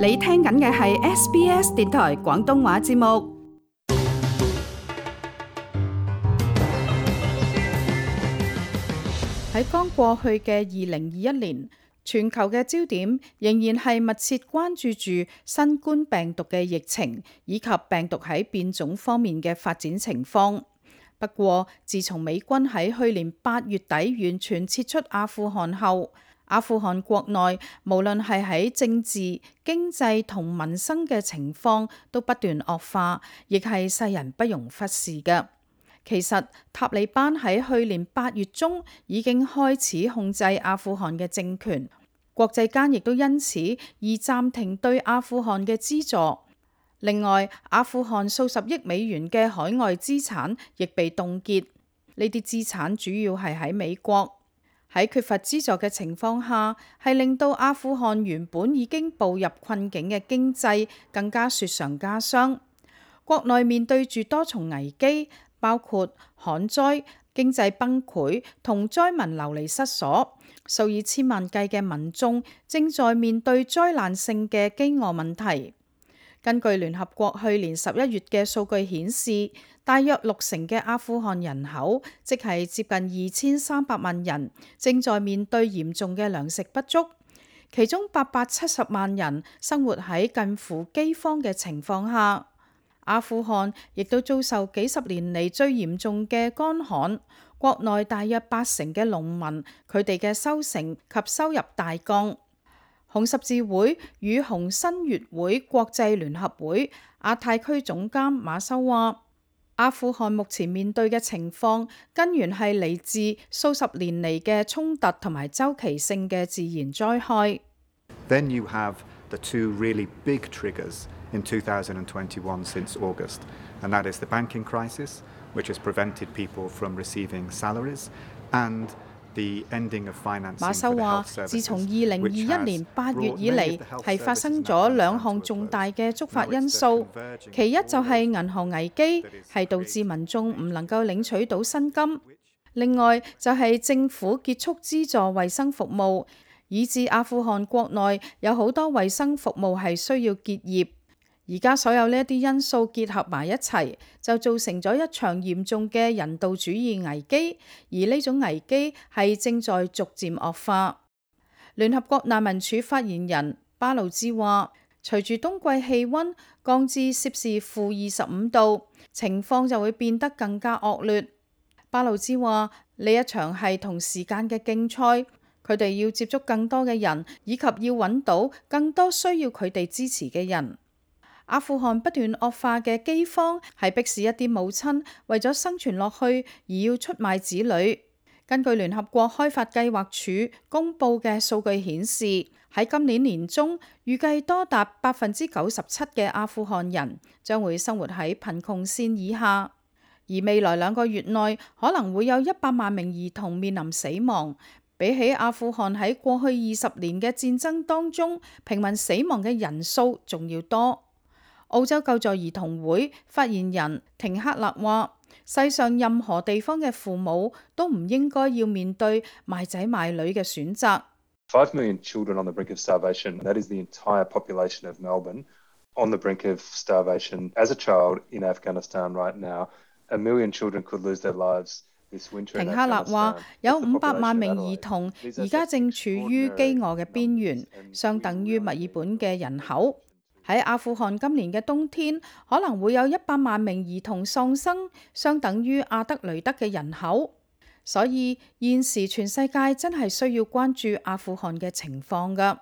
你聽緊嘅係 SBS 電台廣東話節目。喺剛過去嘅2021年，全球嘅焦點仍然係密切關注住新冠病毒嘅疫情，以及病毒喺變種方面嘅發展情況。不過，自從美軍喺去年8月底完全撤出阿富汗後，阿富汗國內無論係喺政治、經濟同民生嘅情況都不斷惡化，亦係世人不容忽視嘅。其實塔利班喺去年8月中已經開始控制阿富汗嘅政權，國際間亦都因此而暫停對阿富汗嘅資助。另外，阿富汗數十億美元嘅海外資產亦被凍結，呢啲資產主要係喺美國。喺缺乏資助嘅情況下，係令到阿富汗原本已經步入困境嘅經濟更加雪上加霜。國內面對住多重危機，包括旱災、經濟崩潰同災民流離失所，數以千萬計嘅民眾正在面對災難性嘅饑餓問題。根據聯合國去年11月嘅數據顯示，大約60%嘅阿富汗人口，即係接近2300萬人，正在面對嚴重嘅糧食不足，其中870萬人生活喺近乎饑荒嘅情況下。阿富汗亦都遭受幾十年嚟最嚴重嘅乾旱，國內大約80%嘅農民，佢哋嘅收成及收入大降。紅十字會與紅新月會國際聯合會亞太區總監馬修話，阿富汗目前面對嘅情況根源係嚟自數十年嚟嘅衝突同埋周期性嘅自然災害。Then you have the two really big triggers in 2021 since August, and that is the banking crisis, which has prevented people from receiving salaries, and馬修話，自從2021年8月以嚟，係發生咗兩項重大嘅觸發因素。其一就係銀行危機，係導致民眾唔能夠領取到薪金；另外就係政府結束資助衛生服務，以致阿富汗國內有好多衛生服務係需要結業。而家所有呢一啲因素結合埋一齊，就造成咗一場嚴重嘅人道主義危機，而呢種危機係正在逐漸惡化。聯合國難民署發言人巴魯茲話，隨住冬季氣溫降至攝氏-25度，情況就會變得更加惡劣。巴魯茲話，呢一場係同時間嘅競賽，佢哋要接觸更多嘅人，以及要揾到更多需要佢哋支持嘅人。阿富汗不斷惡化嘅饑荒係迫使一啲母親為咗生存落去而要出賣子女。根據聯合國開發計劃署公佈嘅數據顯示，喺今年年中預計多達97%嘅阿富汗人將會生活喺貧窮線以下，而未來2個月內可能會有100萬名兒童面臨死亡。比起阿富汗喺過去20年嘅戰爭當中平民死亡嘅人數仲要多。澳洲救助兒童會發言人廷克勒話，世上任何地方嘅父母都唔應該要面對賣仔賣女嘅選擇。5 million children on the brink of starvation. That is the entire population of Melbourne on the brink of starvation. As a child in Afghanistan right now, 1 million children could lose their lives this winter. 廷克勒話，有500萬名兒童而家正處於饑餓嘅邊緣，相等於墨爾本嘅人口。喺阿富汗今年嘅冬天，可能會有100萬名兒童喪生，相等於阿德雷德嘅人口。所以現時全世界真係需要關注阿富汗嘅情況㗎。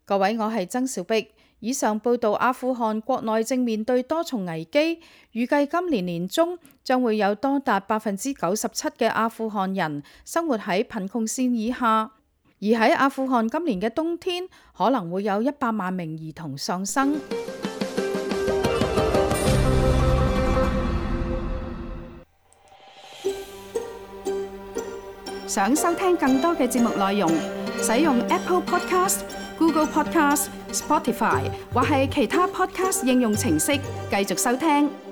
各位，我係曾小碧。以上報道阿富汗國內正面對多重危機，預計今年年中將會有多達97%嘅阿富汗人生活喺貧窮線以下。而喺阿富汗今年嘅冬天，可能會有100萬名兒童喪生。想收聽更多嘅節目內容，使用 Apple Podcast、Google Podcast、Spotify 或係其他 Podcast 應用程式繼續收聽。